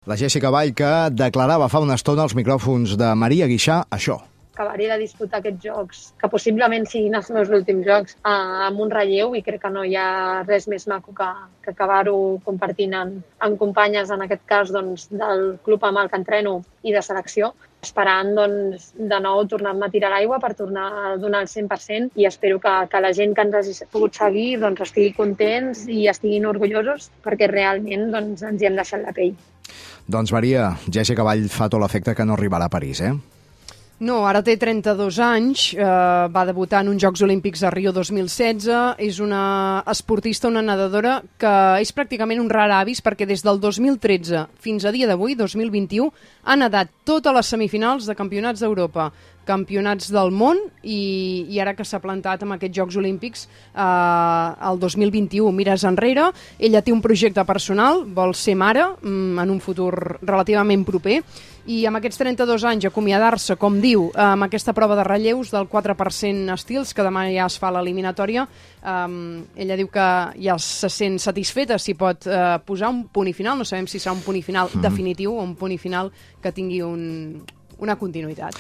La Jessica Vall, que declarava fa una estona als micròfons de Maria Guixà això. Acabaré de disputar aquests jocs, que possiblement siguin els meus últims jocs, amb un relleu, i crec que no hi ha res més maco que acabar-ho compartint amb companyes, en aquest cas doncs, del club amb el que entreno i de selecció, esperant doncs, de nou tornar-me a tirar l'aigua per tornar a donar el 100%, i espero que la gent que ens hagi pogut seguir doncs, estigui contents i estiguin orgullosos, perquè realment doncs, ens hi hem deixat la pell. Doncs Maria, Jessica Vall fa tot l'efecte que no arribarà a París, eh? No, ara té 32 anys, va debutar en uns Jocs Olímpics a Rio 2016, és una esportista, una nedadora, que és pràcticament un rar avis perquè des del 2013 fins a dia d'avui, 2021, ha nedat totes les semifinals de campionats d'Europa, campionats del món i ara que s'ha plantat amb aquests Jocs Olímpics el 2021. Mires enrere, ella té un projecte personal, vol ser mare en un futur relativament proper, i amb aquests 32 anys acomiadar-se, com diu, amb aquesta prova de relleus del 4% estils, que demà ja es fa l'eliminatòria, ella diu que ja se sent satisfeta si pot posar un punt i final, no sabem si serà un punt i final definitiu o un punt i final que tingui una continuïtat.